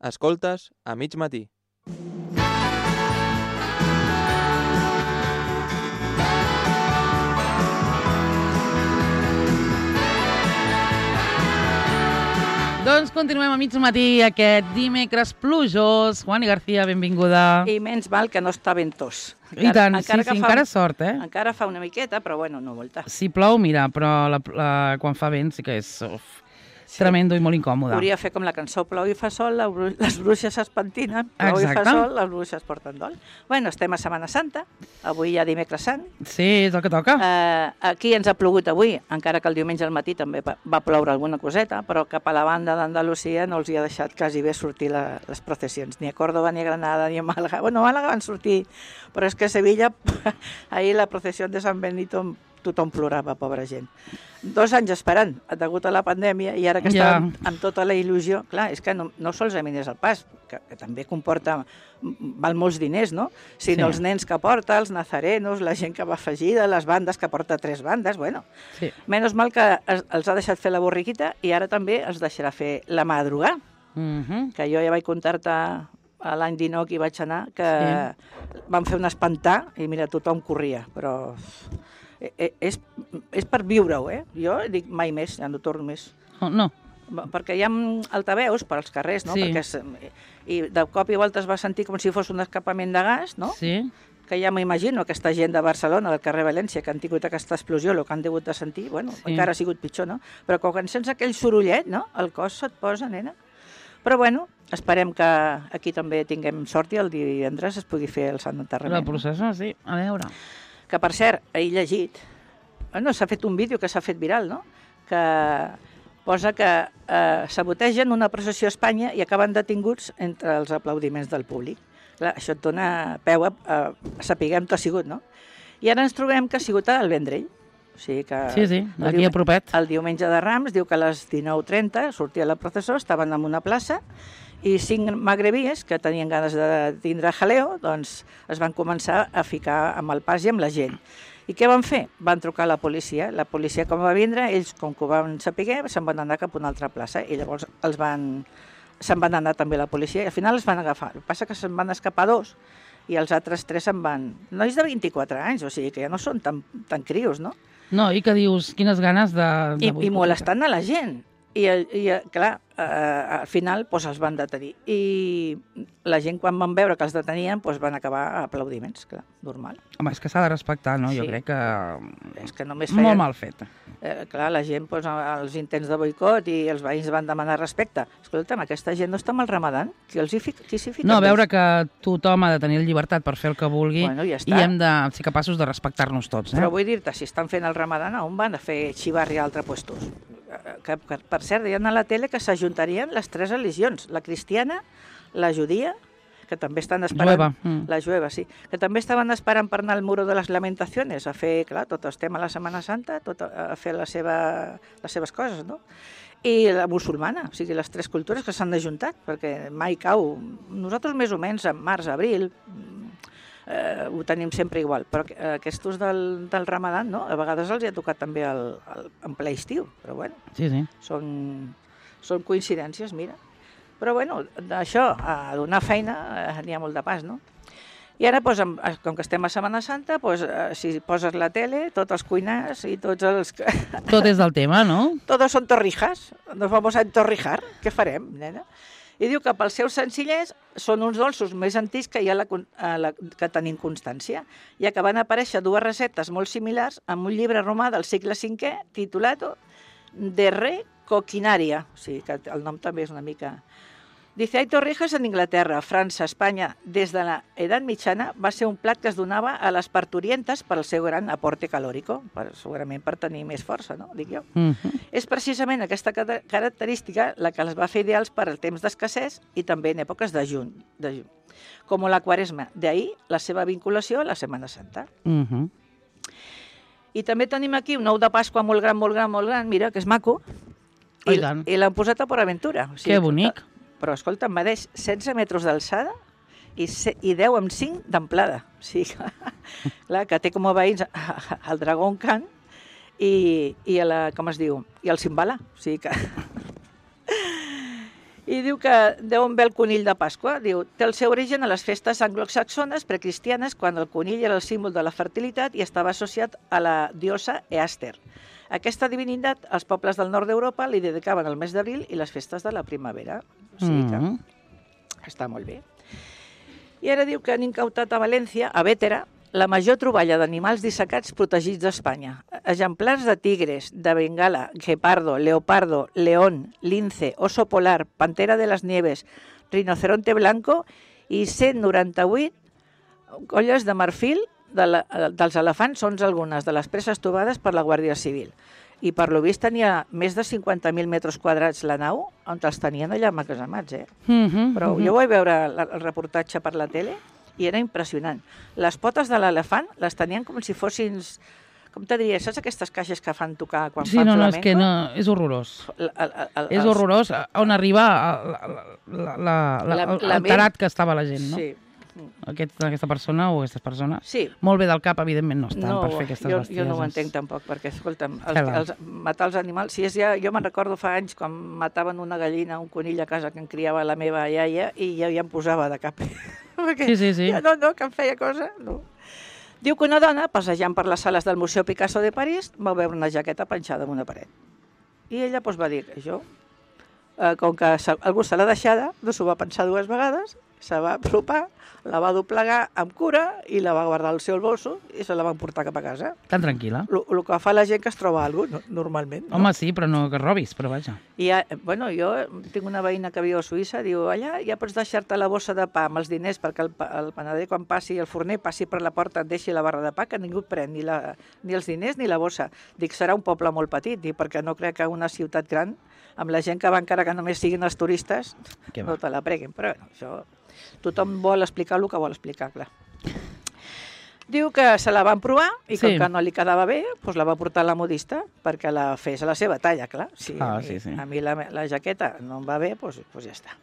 Escoltes a mig matí. Doncs continuem a mig matí aquest dimecres plujós. Juani García, benvinguda. I menys mal que no està ventós. I tant, sí, encara sort, eh? Encara fa una miqueta, però bueno, no molta. Si plou, mira, però quan fa vent sí que és tremendo i molt incòmode. Hauria de fer com la cançó, plou i fa sol, les bruixes es pentinen, plou i fa sol, les bruixes porten dol. Bueno, estem a Setmana Santa, avui ja dimecres sant. Sí, és el que toca. Aquí ens ha plogut avui, encara que el diumenge al matí també va ploure alguna coseta, però cap a la banda d'Andalusia no els hi ha deixat quasi bé sortir les processions, ni a Córdoba, ni a Granada, ni a Màlaga. Bueno, a Màlaga van sortir, però és que a Sevilla, ahir la processió de Sant Benito, tothom plorava, pobra gent. 2 anys esperant, degut a la pandèmia, i ara que estàvem amb tota la il·lusió, clar, és que no solament és el pas, que també comporta, val molts diners, no? Sinó els nens que porta, els nazarenos, la gent que va afegida, les bandes que porta 3 bandes, bueno. Sí. Menys mal que els ha deixat fer la borriquita i ara també els deixarà fer la madrugà, que jo ja vaig contar-te a l'any 19 que hi vaig anar, que van fer un espantar i mira, tothom corria, però és per viure-ho, eh? Jo dic mai més, ja no torno més. No. Perquè hi ha altaveus per als carrers, no? Sí. I de cop i volta es va sentir com si fos un escapament de gas, no? Sí. Que ja m'imagino aquesta gent de Barcelona, del carrer València, que han tingut aquesta explosió, el que han degut de sentir, bueno, encara ha sigut pitjor, no? Però quan sents aquell sorollet, no? El cos se't posa, nena. Però bueno, esperem que aquí també tinguem sort i el divendres es pugui fer el Sant Enterrament. La processó, sí. A veure. Que, per cert, he llegit, s'ha fet un vídeo que s'ha fet viral, no? Que posa que sabotegen una processió a Espanya i acaben detinguts entre els aplaudiments del públic. Clar, això et dona peu a sapiguem què ha sigut, no? I ara ens trobem que ha sigut al Vendrell. O sigui que sí, aquí a propet. El diumenge de Rams diu que a les 19:30 sortia la processó, estaven en una plaça, i 5 magrebíes que tenien ganes de tindre jaleo, doncs es van començar a ficar amb el pas i amb la gent. I què van fer? Van trucar a la policia. La policia, com va vindre, ells, com que ho van saber, se'n van anar cap a una altra plaça i llavors se'n van anar també la policia i al final els van agafar. El que passa que se'n van escapar 2 i els altres 3 se'n van. Nois de 24 anys, o sigui que ja no són tan crios, no? No, i que dius, quines ganes de... I molestant a la gent. I clar, al final els van detenir. I la gent, quan van veure que els detenien, van acabar a aplaudiments, clar, normal. Home, és que s'ha de respectar, no? Jo crec que... És que només feien... Molt mal fet. Clar, la gent, els intents de boicot i els veïns van demanar respecte. Escolta'm, aquesta gent no està amb el Ramadan? Qui s'hi fica? No, veure que tothom ha de tenir llibertat per fer el que vulgui, bueno, ja i hem de ser capaços de respectar-nos tots. Però vull dir-te, si estan fent el Ramadan, on van a fer xivarri a altres puestos? Que, per cert, deien a la tele que s'ajuntarien les 3 religions, la cristiana, la judia, que també estan esperant... La jueva, sí. Que també estaven esperant per anar al Muro de les Lamentaciones, a fer, clar, tot el tema de la Setmana Santa, a fer les seves coses, no? I la musulmana, o sigui, les 3 cultures que s'han ajuntat, perquè mai cau. Nosaltres més o menys, en març, abril, ho tenim sempre igual, però aquests del Ramadan, no? A vegades els hi ha tocat també en ple estiu, però bueno, són coincidències, mira. Però bueno, d'això, a donar feina, n'hi ha molt de pas, no? I ara, com que estem a Setmana Santa, si poses la tele, tots els cuinars i tots els... Tot és del tema, no? Todos son torrijas, nos vamos a entorrijar, què farem, nena? I diu que pels seus senzillers són uns dolços més antics que que tenim constància, ja que van aparèixer 2 receptes molt similars en un llibre romà del segle V titulat De Re Coquinaria, o sigui que el nom també és una mica... Dice, hay torrijas en Inglaterra, França, Espanya. Des de la edat mitjana va ser un plat que es donava a les parturientes per al seu gran aporte calòrico, segurament per tenir més força, no? Dic jo. És precisament aquesta característica la que les va fer ideals per al temps d'escassez i també en èpoques de juny, com la Quaresma. D'ahir la seva vinculació a la Setmana Santa. I també tenim aquí un ou de Pasqua molt gran, mira, que és maco, i l'han posat a Port Aventura. Que bonic. Però, escolta, em medeix 16 metres d'alçada i 10 amb 5 d'amplada. O sigui, clar, que té com a veïns el Dragón Khan i el Cimbala. O sigui que... I diu que d'on ve el conill de Pasqua? Diu, té el seu origen a les festes anglosaxones precristianes, quan el conill era el símbol de la fertilitat i estava associat a la diosa Easter. Aquesta divinitat, els pobles del nord d'Europa li dedicaven el mes d'abril i les festes de la primavera. O sigui que està molt bé. I ara diu que han incautat a València, a Bétera, la major troballa d'animals dissecats protegits d'Espanya. Exemplars de tigres, de bengala, guepardo, leopardo, león, lince, oso polar, pantera de las nieves, rinoceronte blanco i 198 colles de marfil dels elefants, són algunes de les preses trobades per la Guàrdia Civil. I per lo vist tenia més de 50.000 metres quadrats la nau, on els tenien allà emmagatzemats, Però jo vaig veure el reportatge per la tele i era impressionant. Les potes de l'elefant les tenien com si fossin, com te diria, saps aquestes caixes que fan tocar quan fan flamenco? Sí, no, és que no, és horrorós. És horrorós on arriba l'alterat que estava la gent, no? Sí. Aquesta persona o aquestes persones. Sí. Molt bé del cap, evidentment, no estan per fer aquestes bestieses. Jo no ho entenc tampoc, perquè, escolta'm, matar els animals... Si és ja, jo me'n recordo fa anys quan mataven una gallina, un conill a casa que em criava la meva iaia i ja em posava de cap. Sí. No, que em feia cosa, no. Diu que una dona, passejant per les sales del Museu Picasso de París, va veure una jaqueta penjada en una paret. I ella va dir que això, com que algú se l'ha deixada, no s'ho va pensar dues vegades, se va apropar, la va doblegar amb cura i la va guardar al seu bolso i se la van portar cap a casa. Tan tranquil·la. El que fa la gent que es troba alguna cosa, normalment. No? Home, sí, però no que robis, però vaja. I, jo tinc una veïna que viu a Suïssa, diu, allà ja pots deixar-te la bossa de pa amb els diners perquè el panader quan passi, el forner passi per la porta, et deixi la barra de pa, que ningú et pren ni els diners ni la bossa. Dic, serà un poble molt petit, perquè no crec que una ciutat gran, amb la gent que va encara que només siguin els turistes, no te la preguin. Però això... Tothom vol explicar el que vol explicar, clar. Diu que se la van provar i com que no li quedava bé, doncs la va portar a la modista perquè la fes a la seva talla, clar. Si a mi la jaqueta no em va bé, doncs ja està.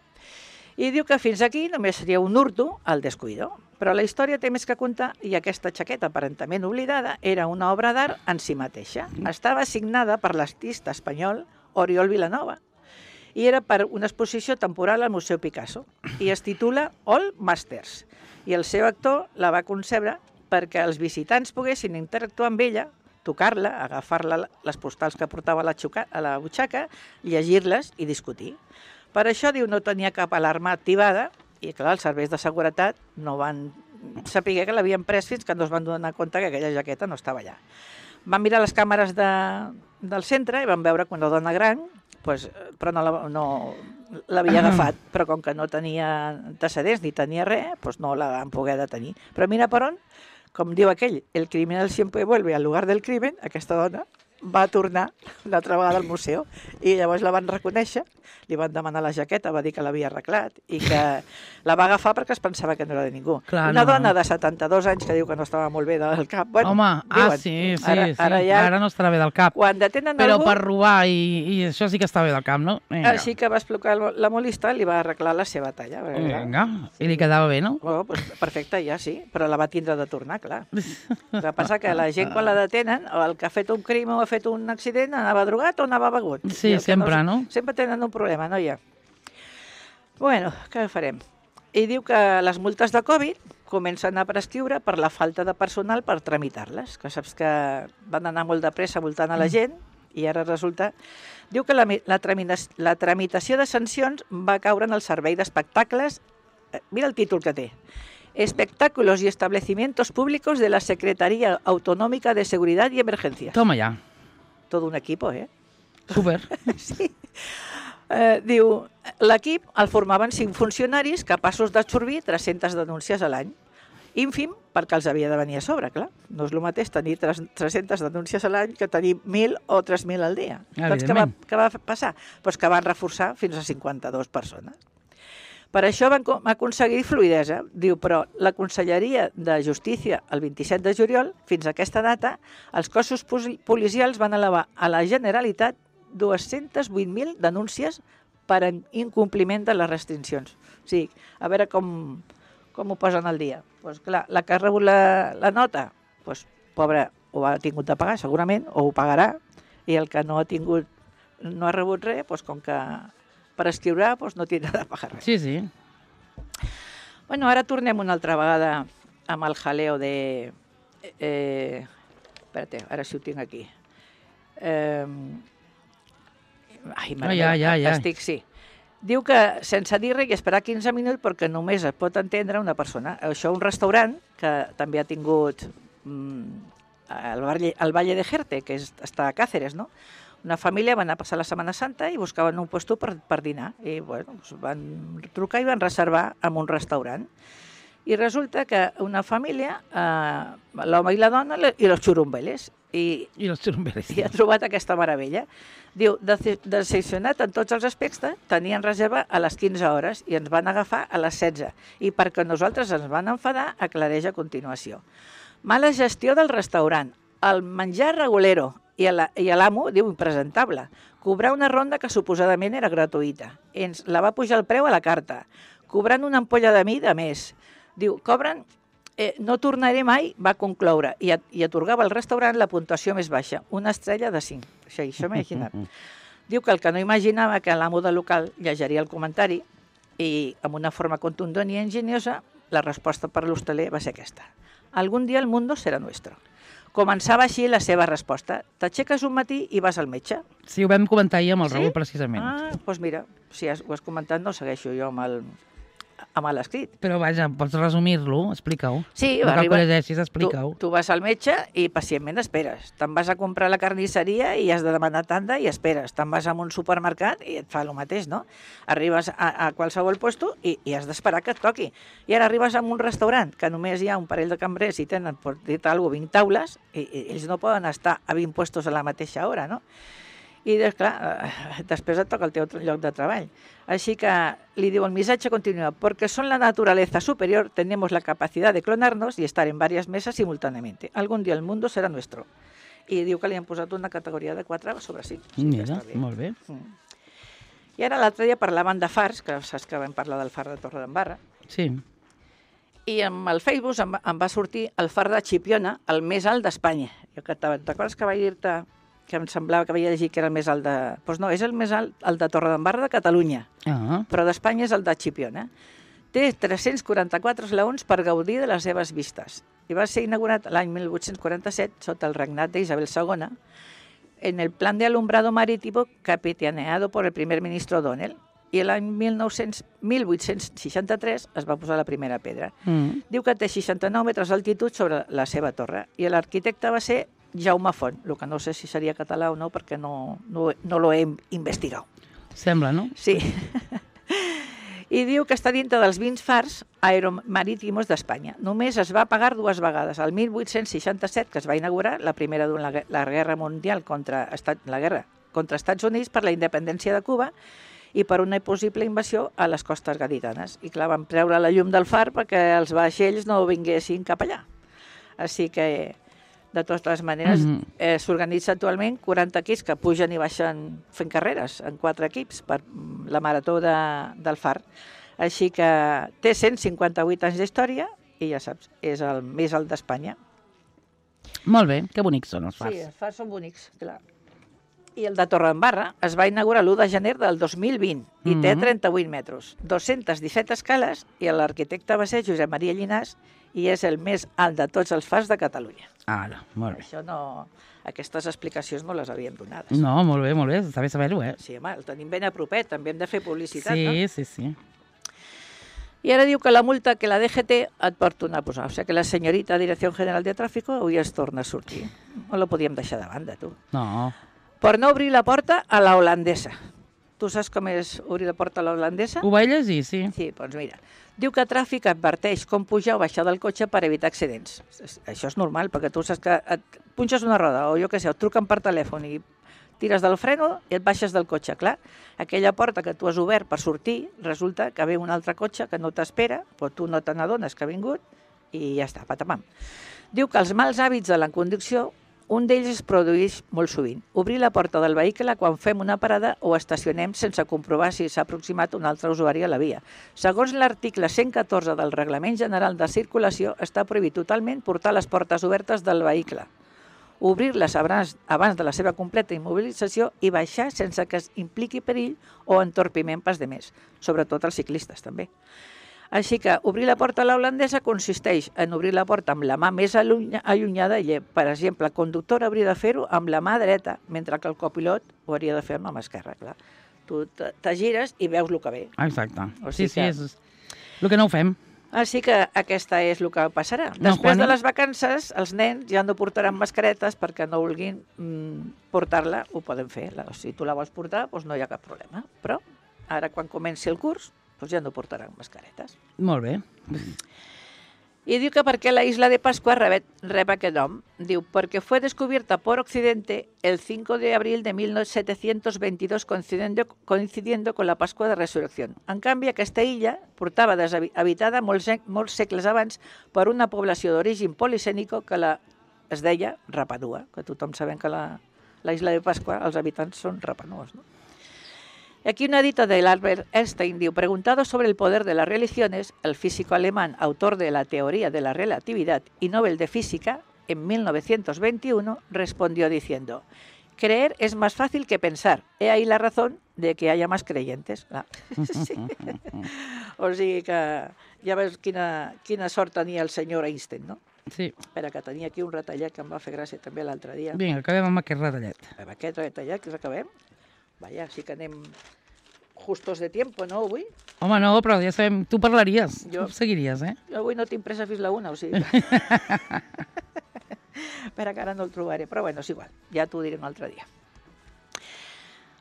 I diu que fins aquí només seria un hurto al descuido. Però la història té més que contar i aquesta jaqueta aparentament oblidada era una obra d'art en si mateixa. Estava signada per l'artista espanyol Oriol Vilanova i era per una exposició temporal al Museu Picasso i es titula All Masters. I el seu actor la va concebre perquè els visitants poguessin interactuar amb ella, tocar-la, agafar-la les postals que portava a la butxaca, llegir-les i discutir. Per això, diu, no tenia cap alarma activada i, clar, els serveis de seguretat no van saber que l'havien pres fins que no es van donar compte que aquella jaqueta no estava allà. Van mirar les càmeres del centre i van veure que una dona gran, però no l'havia agafat, però com que no tenia antecedents ni tenia res, no la van poder detenir. Però mira per on, com diu aquell, el criminal siempre vuelve al lugar del crimen, aquesta dona va tornar una altra vegada al museu i llavors la van reconèixer, li van demanar la jaqueta, va dir que l'havia arreglat i que la va agafar perquè es pensava que no era de ningú. Clar, una dona de 72 anys que diu que no estava molt bé del cap. Bueno, home, diuen, sí. Ara no estarà bé del cap. Quan detenen però algú... per robar i això sí que està bé del cap, no? Vinga. Així que va explicar la molista, li va arreglar la seva talla. Vinga, i li quedava bé, no? Bueno, perfecte, ja sí, però la va tindre de tornar, clar. El que passa que la gent quan la detenen, o el que ha fet un crim o ha fet un accident, anava drogat o anava begut. Sí, sempre, no? Sempre tenen un problema, no hi ha. Bueno, què farem? I diu que les multes de Covid comencen a prescriure per la falta de personal per tramitar-les, que saps que van anar molt de pressa voltant a la gent i ara resulta... Diu que la tramitació de sancions va caure en el servei d'espectacles. Mira el títol que té. Espectáculos y establecimientos públicos de la Secretaría Autonómica de Seguridad y Emergencias. Toma ya. Tot un equip, Súper. Sí. Diu, l'equip el formaven 5 funcionaris capaços d'absorbir 300 denúncies a l'any. Ínfim, perquè els havia de venir a sobre, clar. No és el mateix tenir 300 denúncies a l'any que tenir 1.000 o 3.000 al dia. Doncs què va passar? Doncs que van reforçar fins a 52 persones. Per això van aconseguir fluïdesa. Diu, però la Conselleria de Justícia, el 27 de juliol, fins a aquesta data, els cossos policials van elevar a la Generalitat 208.000 denúncies per incompliment de les restriccions. O sigui, a veure com ho posen al dia. Doncs clar, la que ha rebut la nota, doncs, pobre, ho ha tingut de pagar segurament, o ho pagarà, i el que no ha rebut res, doncs com que per escriure doncs no tiene nada para res. Sí, sí. Bueno, ara tornem una altra vegada amb el jaleo de... espérate, ara sí ho tinc aquí. Ai, mare meva, estic, sí. Diu que sense dir res i esperar 15 minuts perquè només es pot entendre una persona. Això un restaurant que també ha tingut el Valle de Jerte, que està a Càceres, no? Una família va anar a passar la Setmana Santa i buscaven un lloc per dinar. I bueno, van trucar i van reservar en un restaurant. I resulta que una família, l'home i la dona i els xurumbeles. I els xurumbeles. I ha trobat aquesta meravella. Diu, decepcionat en tots els aspectes, tenien reserva a les 15 hores i ens van agafar a les 16. I perquè nosaltres ens van enfadar, aclareix a continuació. Mala gestió del restaurant, el menjar regulero i l'amo, diu, impresentable. Cobrar una ronda que suposadament era gratuïta. Ens la va pujar el preu a la carta, cobrant una ampolla de mi de més. Diu, cobren... no tornaré mai, va concloure, i atorgava al restaurant la puntuació més baixa, una estrella de 5. Això m'he imaginat. Diu que el que no imaginava que l'amo del local llegiria el comentari i amb una forma contundent i enginyosa, la resposta per l'hostaler va ser aquesta. Algun dia el mundo serà nuestro. Començava així la seva resposta. T'aixeques un matí i vas al metge. Sí, ho vam comentar ahir amb el Raül, precisament. Doncs mira, si ho has comentat, no segueixo jo amb l'escrit. Però vaja, pots resumir-lo, explica-ho. Sí, no cal que llegeixis, explica-ho. Tu vas al metge i pacientment esperes. Te'n vas a comprar a la carnisseria i has de demanar tanda i esperes. Te'n vas a un supermercat i et fa el mateix, no? Arribes a qualsevol lloc i has d'esperar que et toqui. I ara arribes a un restaurant que només hi ha un parell de cambrers i tenen, per dir-te alguna cosa, 20 taules i ells no poden estar a 20 puestos a la mateixa hora, no? I, clar, després et toca el teu lloc de treball. Així que li diu el missatge continua, porque son la naturaleza superior, tenemos la capacidad de clonarnos y estar en varias mesas simultáneamente. Algún día el mundo será nuestro. I diu que li han posat una categoria de 4 sobre 5. Mira, molt bé. I ara l'altre dia parlaven de fars, que saps que vam parlar del far de Torredembarra. Sí. I amb el Facebook em va sortir el far de Chipiona, el més alt d'Espanya. T'acordes que vaig dir-te que em semblava que vaig llegir que era el més alt de... Doncs no, és el més alt, el de Torredembarra de Catalunya, però d'Espanya és el de Chipiona. Té 344 esglaons per gaudir de les seves vistes. I va ser inaugurat l'any 1847 sota el regnat d'Isabel II en el plan de alumbrado marítimo capitaneado por el primer ministro O'Donnell. I l'any 1863 es va posar la primera pedra. Diu que té 69 metres d'altitud sobre la seva torre i l'arquitecte va ser Jaume Font, el que no sé si seria català o no perquè no lo he investigat. Sembla, no? Sí. I diu que està dintre dels 20 fars aeromarítimos d'Espanya. Només es va pagar 2 vegades. El 1867, que es va inaugurar, la primera durant la guerra mundial contra Estats Units per la independència de Cuba i per una possible invasió a les costes gaditanes. I clar, van treure la llum del far perquè els vaixells no vinguessin cap allà. Així que, de totes maneres, s'organitza actualment 40 equips que pugen i baixen fent carreres en 4 equips per la marató del far. Així que té 158 anys d'història i ja saps, és el més alt d'Espanya. Molt bé, que bonics són els fars. Sí, els fars són bonics, clar. I el de Torredembarra es va inaugurar l'1 de gener del 2020 i té 38 metres, 217 escales i l'arquitecte va ser Josep Maria Llinàs i és el més alt de tots els fars de Catalunya. Ara, molt bé. Això no... Aquestes explicacions no les havíem donades. No, molt bé, està bé saber-ho, Sí, home, el tenim ben a propet, també hem de fer publicitat, no? Sí. I ara diu que la multa que la DGT et pot tornar a posar. O sigui que la senyorita Direcció General de Tráfico avui es torna a sortir. No la podíem deixar de banda, tu. No. Per no obrir la porta a la holandesa. Tu saps com és obrir la porta a la holandesa? Ho vaig llegir, sí. Sí, doncs mira. Diu que Tràfic adverteix com pujar o baixar del cotxe per evitar accidents. Això és normal, perquè tu saps que et punxes una roda o jo què sé, et truquen per telèfon i tires del freno i et baixes del cotxe. Clar, aquella porta que tu has obert per sortir, resulta que ve un altre cotxe que no t'espera, però tu no te n'adones que ha vingut i ja està, patamam. Diu que els mals hàbits de la conducció, un d'ells es produeix molt sovint. Obrir la porta del vehicle quan fem una parada o estacionem sense comprovar si s'ha aproximat un altre usuari a la via. Segons l'article 114 del Reglament General de Circulació, està prohibit totalment portar les portes obertes del vehicle. obrir-les abans de la seva completa immobilització i baixar sense que es impliqui perill o entorpiment pas de més, sobretot els ciclistes també. Així que obrir la porta a la holandesa consisteix en obrir la porta amb la mà més allunyada i, per exemple, el conductor hauria de fer-ho amb la mà dreta, mentre que el copilot ho hauria de fer amb la mà esquerra, clar. Tu te gires i veus el que ve. Exacte. O Sí, sigui sí, que- és el que no ho fem. Així que aquesta és el que passarà. No, Després Juani? de les vacances, els nens ja no portaran mascaretes perquè no vulguin portar-la, ho poden fer. Si tu la vols portar, doncs no hi ha cap problema. Però ara, quan comenci el curs, doncs ja no portaran mascaretes. Molt bé. Y diu que per qué la isla de Pascua rep aquest nom. Diu, porque fue descubierta por Occidente el 5 de abril de 1722 coincidiendo con la Pascua de Resurrección. En canvi, aquesta illa portava deshabitada molts segles abans per una població d'origen policènico que es deia Rapanua, que tothom sabem que la isla de Pascua, els habitants són rapanuos, no? Aquí una dita de Albert Einstein diu, preguntado sobre el poder de las religiones, el físico alemán, autor de la teoría de la relatividad y Nobel de Física, en 1921, respondió diciendo, creer es más fácil que pensar. He ahí la razón de que haya más creyentes. Sí. O sigui que ja veus quina sort tenia el senyor Einstein, no? Sí. Espera, que tenia aquí un retallat que em va fer gràcia també l'altre dia. Vinga, acabem amb aquest retallet. Amb aquest retallat que acabem. Vaja, sí que anem justos de tiempo, no, avui? Home, no, però ja sabem, tu parlaries, Jo- tu seguiries, eh? Jo avui no tinc pressa fins la una, o sigui... Espera, que ara no el trobaré, però bueno, és igual, ja t'ho diré un altre dia.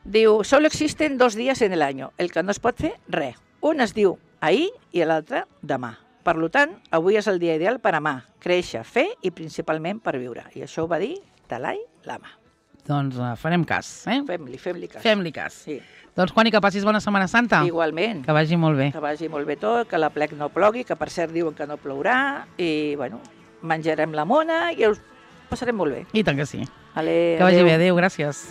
Diu, solo existen 2 días en el año, el que no es pot fer, res. Un es diu ahir i l'altre demà. Per tant, avui és el dia ideal per amar, créixer, fer i principalment per viure. I això ho va dir Dalai Lama. Doncs farem cas, eh? Fem-li cas. Fem-li cas. Sí. Doncs, Juani, que passis bona Setmana Santa. Igualment. Que vagi molt bé. Que vagi molt bé tot, que la plec no plogui, que per cert diuen que no plourà, i bueno, menjarem la mona i us passarem molt bé. I tant que sí. Ale, Que vagi adéu. bé, adéu, gràcies.